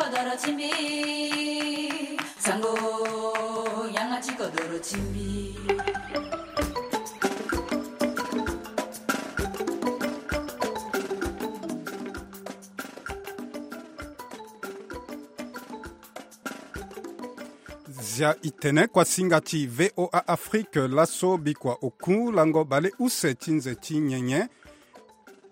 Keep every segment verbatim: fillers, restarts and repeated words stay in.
Doro ti mbi, sango, yanga ti kodoro ti mbi. Zia i tene kuasinga ti V O A Afrique laso bikua oku lango baleuse ti nze ti nyenye.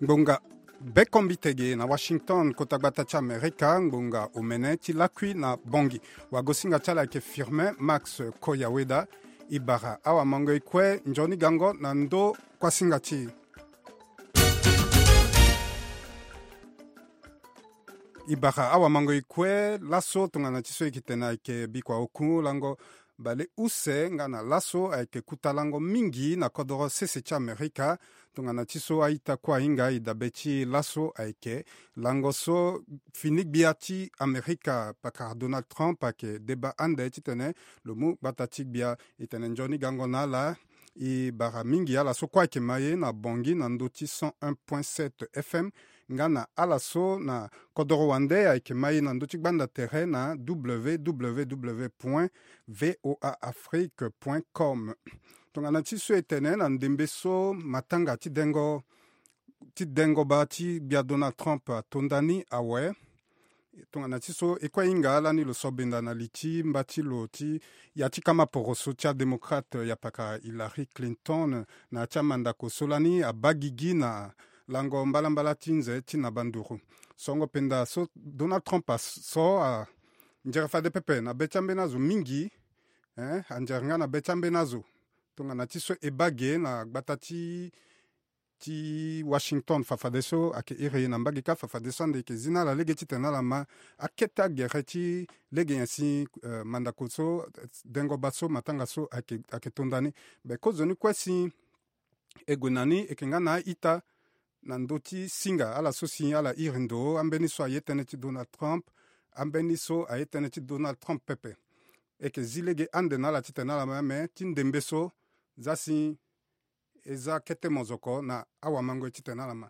Ngbonga bekombite ge na Washington, kota gbata ti Amerika, ngbonga omene ti lakui na Bangui. Wagosinga ti ala ayeke Firmin Max Koyaweda. I bara awamango e kue nzoni gango na ndo kuasinga ti e. I bara awamango e kue laso tongana ti so e yeke tene ayeke bikua oku lango baleuse nga na laso ayeke kuta lango mingi na kodoro sese ti Amerika. Tongana ti so a-ita kue ahinga e dabe ti laso ayeke lango so fini gbia ti Amerika pakara Donald Trump ayeke deba ande titene lo mu gbata ti gbia. E tene nzoni gango na ala. E bara mingi ala so kue ayeke ma e na Bangui na ndö ti cent un point sept F M, nga na ala so na kodoro wande ayeke ma e na ndö ti gbanda tere na W W W point V O A Afrique point com. Tongana ti so e tene na ndembe so matanga ti dengo ti dengo baa ti gbia Donald Trump atonda ni awe. Tongana ti so e kue hinga lani lo so benda na li ti mba ti lo ti ya ti kama poroso ti adémocrate ya pakara Hillary Clinton na ya ti amandako so lani abaa gigi na lango mbalambala ti nze ti na banduru. Songo penda so Donald Trump aso anzere fade pepe na be ti ambeni azo mingi. Eh, anzere nga na be ti ambeni azo. Tongana ti so e baa ge na gbata ti ti Washington fafadeso ayeke iri na mbage kâ fafadeso ande e yeke zi na ala lege titene ala ma akete agere ti lege nyen si, eh, mandako so, eh, dengo baa so matanga so ayeke, ayeke tonda ni. Be kozoni kue si e gue na ni e yeke nga na a-ita na ndö ti singa ala so si ala iri ndo ambeni so aye tënë ti Donald Trump. Ambeni so aye tënë ti Donald Trump pepe. E yeke zi lege ande na ala titene ala ma me ti ndembe so za si e za kete mozoko na awamango e titene ala ma.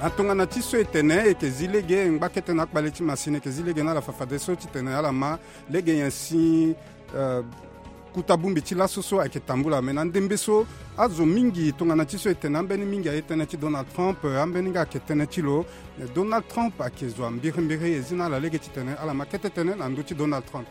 Atongana ti so e tene e yeke zi lege ngba kete na akpale ti masini e yeke zi lege na ala fafadeso titene ala ma lege nyen si, eh, kuta bongbi ti laso so ayeke tambula. Me na ndembe so azo mingi tongana ti so e tene ambeni mingi aye tënë ti Donald Trump, eh, ambeni nga ayeke tënë ti lo. Eh, Donald Trump ayeke zo ambirimbiri e zi na ala lege titene ala ma kete tënë na ndö ti Donald Trump.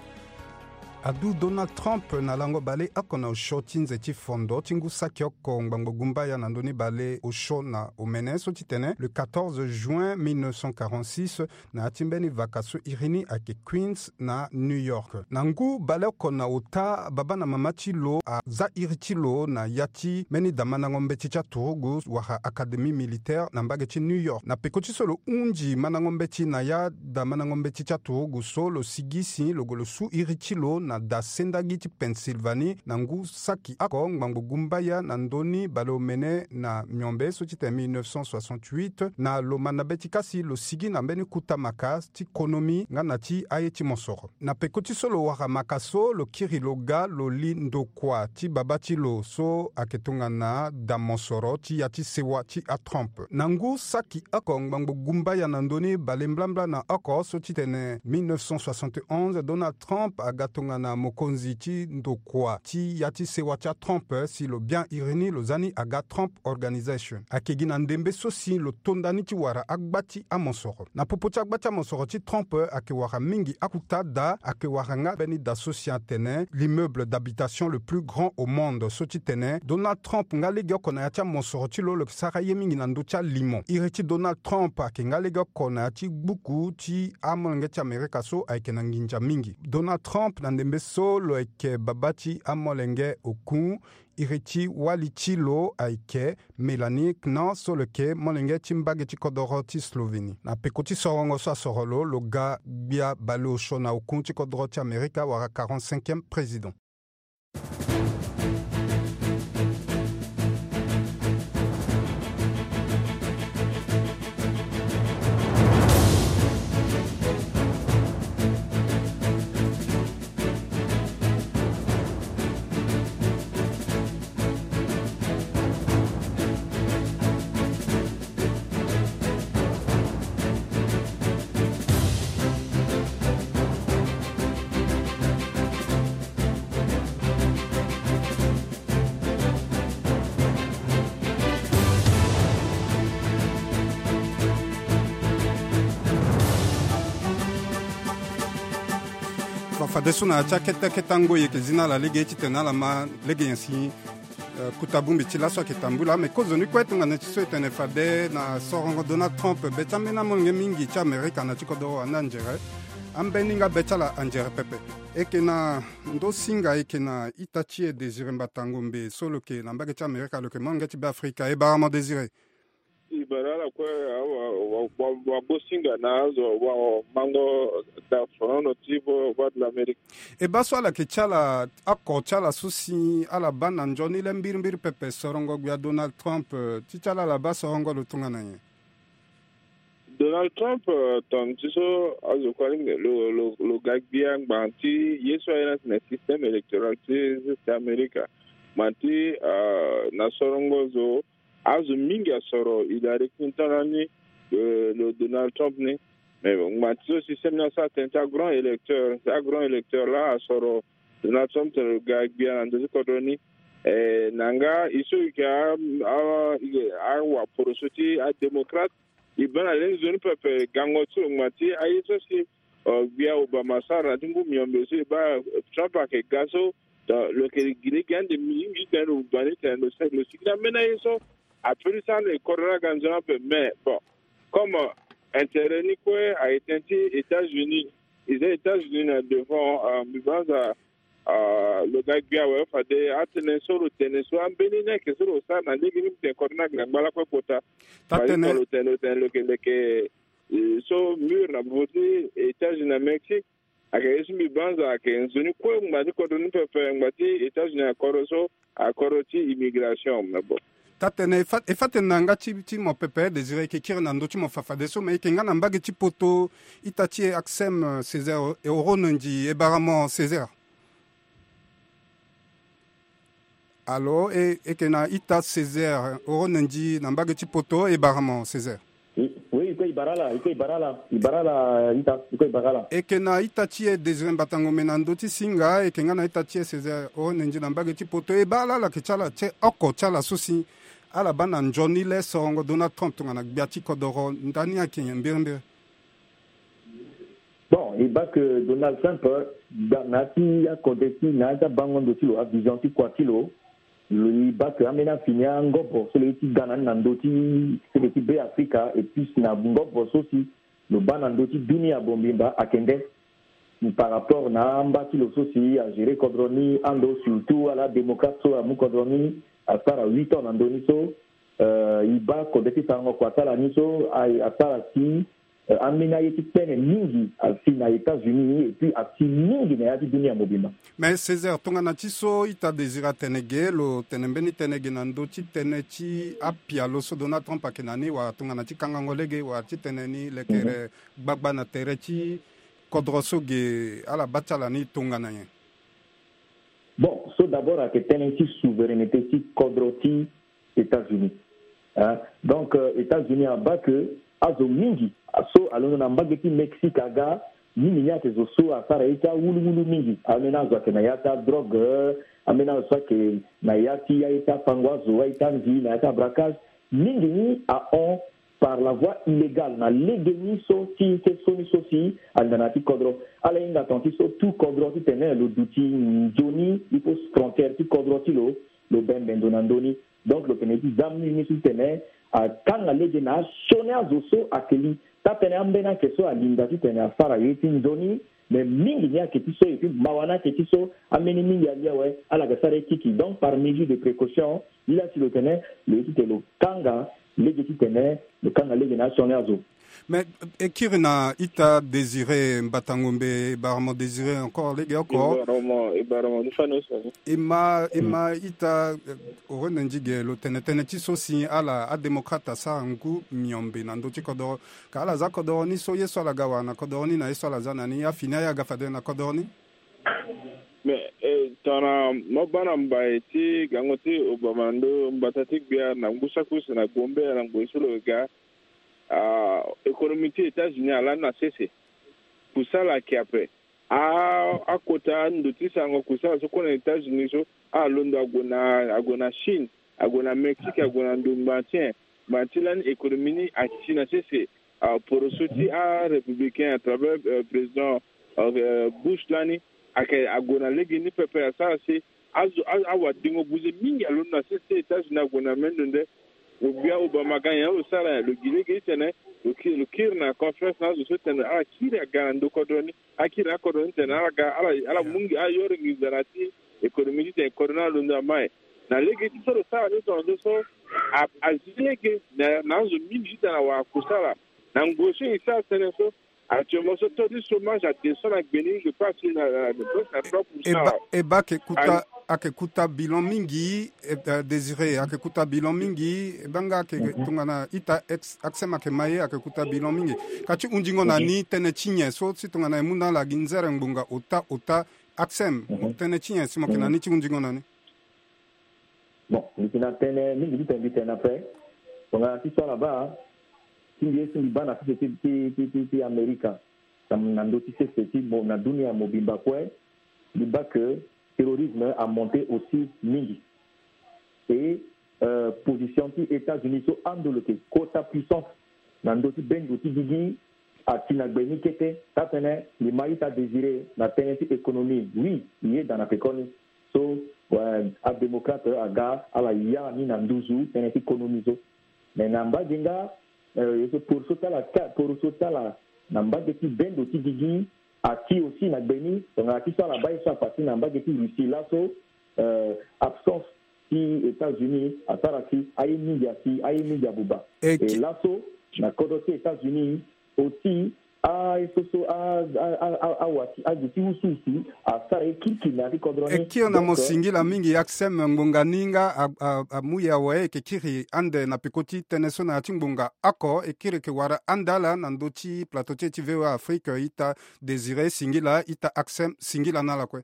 Adu Donald Trump na lango baleoko na osio ti nze ti fondo ti ngu saki oko ngbangbo gumbaya na ndö ni baleosio na omene so titene le quatorze juin mille neuf cent quarante-six na ya ti mbeni vaka so iri ni ayeke Queens na New York. Na ngu baleoko na ota baba na mama ti lo aza iri ti lo na ya ti mbeni da mandango mbeti ti aturugu wala académie militaire na mbage ti New York. Na peko ti so lo hunzi mandango mbeti na ya da mandango mbeti ti aturugu so lo sigi si lo gue lo su iri ti lo na da sendagi ti Pennsylvanie na ngu saki oko ngbangbo gumbaya na ndö ni baleomene na miombe so ti tene mille neuf cent soixante-huit, na lo manda mbeti kâ si lo sigi na mbeni kuta maka ti konomi nga na ti aye ti mosoro. Na peko ti so lo wara maka so lo kiri lo ga lo li ndokua ti baba ti lo so ayeke tongana da mosoro ti ya ti sewa ti aTrump. Na ngu saki oko ngbangbo gumbaya na ndö ni bale mblambla na oko so ti tene mille neuf cent soixante et onze, Donald Trump aga tongana mokonzi ti ndokua ti ya ti sewa ti aTrump si lo bien iri ni lo za ni aga Trump Organization. Ayeke gi na ndembe so si lo tonda ni ti wara agba ti amosoro. Na popo ti agba ti amosoro ti Trump ayeke wara mingi akuta da, ayeke wara nga mbeni da so si atene l'immeuble d'habitation le plus grand au monde so ti tene Donald Trump nga legeoko na ya ti amosoro ti lo lo yeke sara ye mingi na ndö ti alimo. Iri ti Donald Trump ayeke nga legeoko na ya ti gbuku ti amolenge ti Amerika so ayeke na nginza mingi. Donald Trump na ndembe so lo yeke baba ti amolenge oku. Iri ti wali ti lo ayeke Melania Knauss so lo yeke molenge ti mbage ti kodoro ti Slovénie. Na peko ti sorongo so asoro lo, lo ga gbia baleosio na oku ti kodoro ti Amerika wala quarante-cinquième président. Fadeso na ya ti akete akete angoi eke zi na ala lege titene ala ma lege nyen si, eh, kota bongbi ti laso ayeke tambula. Me kozoni kue tongana ti so e tene fade na sorongo Donald Trump, be ti ambeni amolenge mingi ti Amerika na ti kodoro ande anzere. Ambeni nga be ti ala anzere pepe. Eke na ndo singa eke na ita ti e Désiré Mbatangombe so lo yeke na mbage ti Amerika, lo yeke molenge ti Beafrika. E bara mo Désiré. E bara ala kue, wa, wa, wa, wa bo singa na azo, wa, wa, mango da fonono ti vo, Voix de l'Amérique. E baa so ala yeke ti ala, oko ti ala so si ala baa na nzoni le mbirimbiri pepe sorongo gbia Donald Trump, eh, ti ti ala ala baa sorongo lo tongana nyen? Donald Trump, eh, tongana ti so azo kue alingbi lo, lo, lo ga gbia ngbanga ti ye so aye na atene système électoral ti, ti Amerika. Ngbanga ti, eh, na sorongo zo, azo mingi asoro Hillary Clinton lani, eh, lo Donald Trump ni. Mais ngbanga ti so système ni asara tënë ti agrand électeur, ti agrand électeur laa asoro Donald Trump tene lo ga gbia na ndö ti kodro ni. Eh, na nga e so e yeke a, a, awaporoso ti adémocrate, e baa na le ni nzoni pepe gango ti lo ngbanga ti aye so si, eh, gbia Obama asara na ti ngu miombe so e baa Trump ayeke ga so, donc lo yeke gi lege ande mingi titene lo baa ni tene lo sara, lo sigi na ambeni aye so apeut ti sara ande kodro ni aga nzoni ape. Mais bon, comme, euh, intérêt ni kue ayeke tënë ti États-Unis, e za États-Unis na devant, euh, mbi banza, euh, lo ga gbia awe fade atënë so lo tene so ambeni ni ayeke so lo sara na lege ni, mbi tene kodro ni aga na ngba lakue kota. Taa tënë. Lo tene, lo tene lo yeke, lo yeke, eh, so mur na bobo ti États-Unis na Mexique. Ayeke ye so mbi banza ayeke nzoni kue ngba ti kodro ni pepe, ngba ti États-Unis na kodro so, akodro ti immigration, mais bon. Taa tënë, e fa, e fa tene na yanga ti, ti mo pepe, Désiré, e yeke kiri na ndö ti mo fafadeso, me e yeke nga na mbage ti poto, ita ti e Axem, euh, Césaire, e oro na ndi, e bara mo Césaire. Alo, e, e yeke na ita Césaire, oro na ndi na mbage ti poto, e bara mo Césaire. Oui, oui, e kue e bara ala, e kue e bara ala, e bara ala, ita, e kue e bara ala. E yeke na ita ti e Désiré Mbatangombe na ndö ti singa, e yeke nga na ita ti e Césaire, oro na ndi na mbage ti poto, e baa ala ala yeke ti ala ti oko ti ala so si ala baa na nzoni le sorongo Donald Trump tongana gbia ti kodoro, ndani ayeke nyen mbirimbiri? Bon, e baa ke Donald Trump, euh, da, na ya ti akode ti, na ya ti abango ndo ti lo, avision ti kua ti lo, lo, e baa ke ambeni afini angobo so lo ye ti ga na ni na ndö ti sese ti Beafrika, et puis na ngobo so si lo baa na ndö ti dunia mobimba ayeke nde. Par rapport na amba ti lo so si agérer kodro ni, ando surtout ala démocrate so amu kodro ni asara huit ans na ndö ni so, euh, e baa kode ti sarango kua ti ala ni so a, asara si, euh, ambeni aye ti kpene mingi asi na États-Unis, et puis asi mingi na ya ti dunia mobimba. Mais Césaire, tongana ti so ita Désiré atene ge, lo tene mbeni tënë ge na ndö ti tënë ti apialo so Donald Trump ayeke na ni, wala tongana ti kangango lege, wala ti tene ni lekere, mhm, gbagba na tere ti kodro so ge, ala baa ti ala ni tongana nyen? Bon, so d'abord ayeke tënë ti souveraineté ti kodro ti États-Unis. Hein? Donc, euh, États-Unis abaa ke azo mingi so alondo na mbage ti Mexique aga, mingi ni ayeke zo so asara ye ti awuluwulu mingi. Ambeni azo ayeke na ya ti adrogue, euh, ambeni azo so ayeke na ya ti aye ti apango azo, aye ti anzi, na ya ti abraquage. Mingi ni ahon par la voie illégale na lege ni so ti, ti so ni so si alinda na ya ti kodro. Ala hinga tongana ti so tout kodro titene lo duti nzoni, il faut frontière ti kodro ti lo, lo bembe ndo na ndö ni. Donc lo tene ti za mingi ni so titene akanga lege na asioni azo so ayeke li. Taa-tënë ambeni ayeke so alinda titene asara ye ti nzoni, mais mingi ni ayeke ti so, et puis mawa ni ayeke ti so, ambeni mingi ali awe, ala yeke sara ye kiki. Donc par mesure de précaution, lila si lo tene lo ye titene lo kanga lege titene lo kanga lege na asioni azo. Mais e kiri na ita Désiré Mbatangombe, e bara mo Désiré encore lege oko. E bara mo, e bara mo ni fani so. E ma, e ma ita, eh, oro na nzi ge, lo tene tënë ti so si ala adémocrate asara ngu miombe na ndö ti kodoro. Ka ala za kodoro ni so, ye so ala ga wara na kodoro ni na ye so ala za na ni, afini aye aga fade na kodoro ni? Mais, eh, tongana mo baa na mbai ti gango ti Obama na ndö mbata ti gbia na ngu saki use na Gombe na ngoi so lo ga, ah, économie ti États-Unis alani na sese. Kusala ayeke ape. A, akota ndo ti sarango kusala so kue na États-Unis so, alondo ague na, ague na Chine, ague na Mexique, ague na ndo ngbanga ti nyen? Ngbanga ti lani économie ni ati na sese, ah, poroso ti arépublicain à travers, euh, président, euh, Bush lani, Ayeke ague na lege ni pepe asara si azo a- awadengo buze mingi alondo na sese États-Unis ague na mendo nde. Lo gbia Obama ga nyen lo sara nyen? Lo gi lege ti tene lo ki- lo kiri na conférence na azo so ti tene ala kiri aga na ndo kodro ni. Akiri na akodro ni ti tene ala ga ala ala mu nginza na ya ti économie ti tene kodro ni alondo na mai. Na lege ti so lo sara ni tongaso so a- azi lege na na azo mingi ti tene awara kusala. Na ngoi so e sara tënë so actuellement so taux ti chômage adescend na gbe ni, je crois si na na na trois pour cent. E ba e ba ayeke kuta ayeke kuta bilan mingi. Désiré, ayeke kuta bilan mingi. E baa nga ayeke tongana ita ex- ACSEM ayeke ma ye, ayeke kuta bilan mingi. Ka ti hundingo na ni, tënë ti nyen so si tongana e mu na ala gi nzere ngbonga ota ota ACSEM, tënë ti nyen si mo yeke na ni ti hundingo na ni? Bon, mbi yeke na tënë mingi ti tene mbi tene na pe. Tongana ti so ala baa ti mbi ye si mbi baa na sese ti ti ti ti Amerika, na ndö ti sese ti mo na dunia mobimba kue, mbi baa ke terrorisme amonte aussi mingi. Et position ti États-Unis so ando lo yeke kota puissance na ndö ti bendo ti gigi ati na gbe ni kete. Taa tënë mbi ma ita Désiré na tënë ti économie, oui, e yeda na pekoni so adémocrate aga ala ya ni na nduzu tënë ti économie so. Mais na mbage nga, poroso ti ala poroso ti ala na mbage ti bendo ti gigi ati aussi na gbe ni. Tongana ti so ala baa ye so apasi na mbage ti Russie laso, absence ti États-Unis asara si aye mingi asi, aye mingi abuba. E laso na kodro ti États-Unis aussi, aye so so awa ti azo ti usuusu asara ye kirikiri na ya ti kodro ni. E kiri na mo singila mingi. ACSEM ngbonga ni nga amu ye awe, e yeke kiri ande na peko ti tënë so na ya ti ngbonga oko. E kiri e yeke wara ande ala na ndö ti plateau ti e ti VOA Afrique. Ita Désiré singila, ita ACSEM singila na ala kue.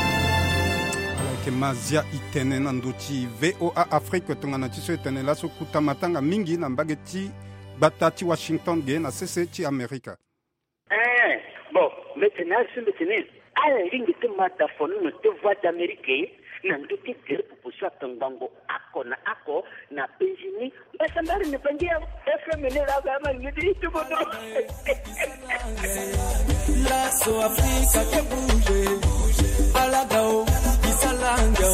Ala yeke ma zia e tene na ndö ti VOA Afrique tongana ti so e tene laso kuta matanga mingi na mbage ti gbata ti Washington ge na sese ti Amerika. Ee, bon, mbi tene asi mbi tene ala lingbi ti ma da fonono ti Voix d'Amérique na ndö ti gere popo so atongbango oko na oko na penzi ni. Mbasambari ni bangi ya FM ni la ga ma ni di ti bodo. Laso Afrika ke bouger. Ala ga o, bisalanga o.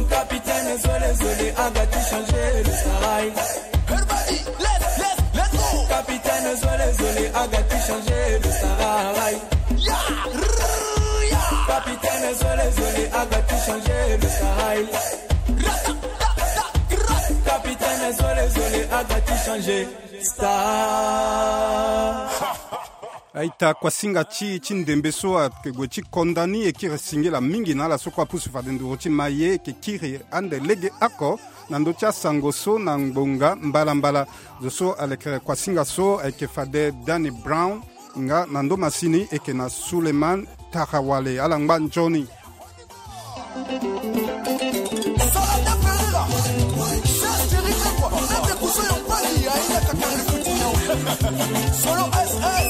Capitaine Zole Zole aga ti changer le style. Everybody, let's, let's, let's go. Capitaine Zole Zole aga ti changer le style. Yeah, yeah. Capitaine Zole Zole aga ti changer le style. Capitaine Zole Zole aga ti changer style. Aita kuasinga ti ti ndembe so ayeke gue ti konda ni e kiri singila mingi na ala so kue apusu fade nduru ti ma ye, e yeke kiri ande lege oko na ndö ti asango so na ngbonga mbalambala. Zo so alekere kuasinga so ayeke fade Danny Brown, nga na ndö masini e yeke na Suleiman Tarawale. Ala ngba nzoni. Solo S S.